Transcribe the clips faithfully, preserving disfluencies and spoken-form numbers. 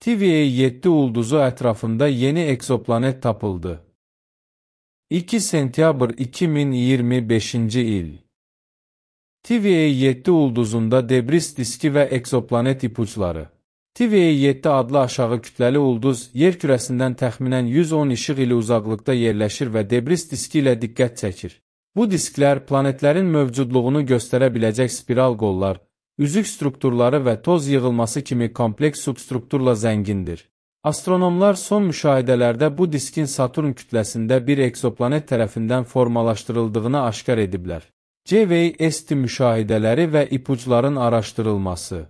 T V A yeddi ulduzu ətrafında yeni eksoplanet tapıldı. iki sentyabr iki min iyirmi beşinci il. T V A yeddi ulduzunda debris diski və eksoplanet ipuçları. T V A yeddi adlı aşağı kütləli ulduz yer kürəsindən təxminən yüz on işıq ili uzaqlıqda yerləşir və debris diski ilə diqqət çəkir. Bu disklər planetlərin mövcudluğunu göstərə biləcək spiral qollar, üzük strukturları və toz yığılması kimi kompleks substrukturla zəngindir. Astronomlar son müşahidələrdə bu diskin Saturn kütləsində bir eksoplanet tərəfindən formalaşdırıldığını aşkar ediblər. C V S T müşahidələri və ipuçların araşdırılması.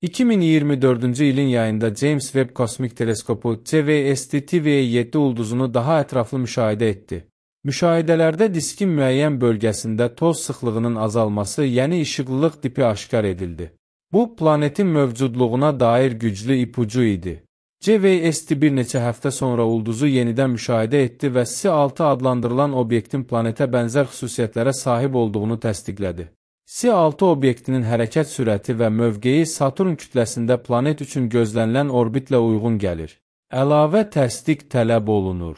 iki min iyirmi dördüncü ilin yayında James Webb Kosmik Teleskopu C V S T T V A yeddi ulduzunu daha ətraflı müşahidə etdi. Müşahidələrdə diskin müəyyən bölgəsində toz sıxlığının azalması, yəni işıqlılıq tipi aşkar edildi. Bu, planetin mövcudluğuna dair güclü ipucu idi. C V S T bir neçə həftə sonra ulduzu yenidən müşahidə etdi və S altı adlandırılan obyektin planetə bənzər xüsusiyyətlərə sahib olduğunu təsdiqlədi. S altı obyektinin hərəkət sürəti və mövqeyi Saturn kütləsində planet üçün gözlənilən orbitlə uyğun gəlir. Əlavə təsdiq tələb olunur.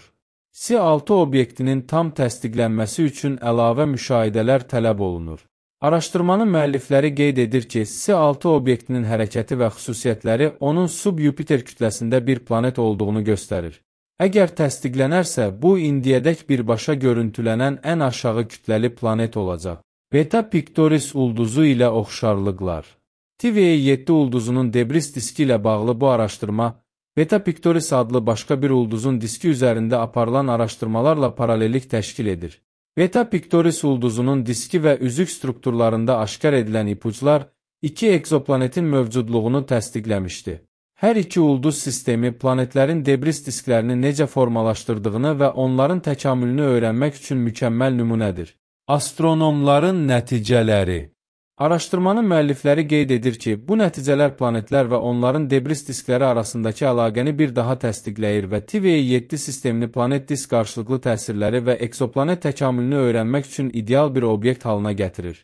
S altı obyektinin tam təsdiqlənməsi üçün əlavə müşahidələr tələb olunur. Araşdırmanın müəllifləri qeyd edir ki, S altı obyektinin hərəkəti və xüsusiyyətləri onun sub-Yupiter kütləsində bir planet olduğunu göstərir. Əgər təsdiqlənərsə, bu indiyədək birbaşa görüntülənən ən aşağı kütləli planet olacaq. Beta Pictoris ulduzu ilə oxşarlıqlar. T V A yeddi ulduzunun debris diski ilə bağlı bu araşdırma, Beta Pictoris adlı başqa bir ulduzun diski üzərində aparılan araşdırmalarla paralellik təşkil edir. Beta Pictoris ulduzunun diski və üzük strukturlarında aşkar edilən ipuçlar iki eksoplanetin mövcudluğunu təsdiqləmişdi. Hər iki ulduz sistemi planetlərin debris disklərini necə formalaşdırdığını və onların təkamülünü öyrənmək üçün mükəmməl nümunədir. Astronomların nəticələri. Araşdırmanın müəllifləri qeyd edir ki, bu nəticələr planetlər və onların debris diskləri arasındakı əlaqəni bir daha təsdiqləyir və T V A yeddi sistemini planet disk qarşılıqlı təsirləri və eksoplanet təkamülünü öyrənmək üçün ideal bir obyekt halına gətirir.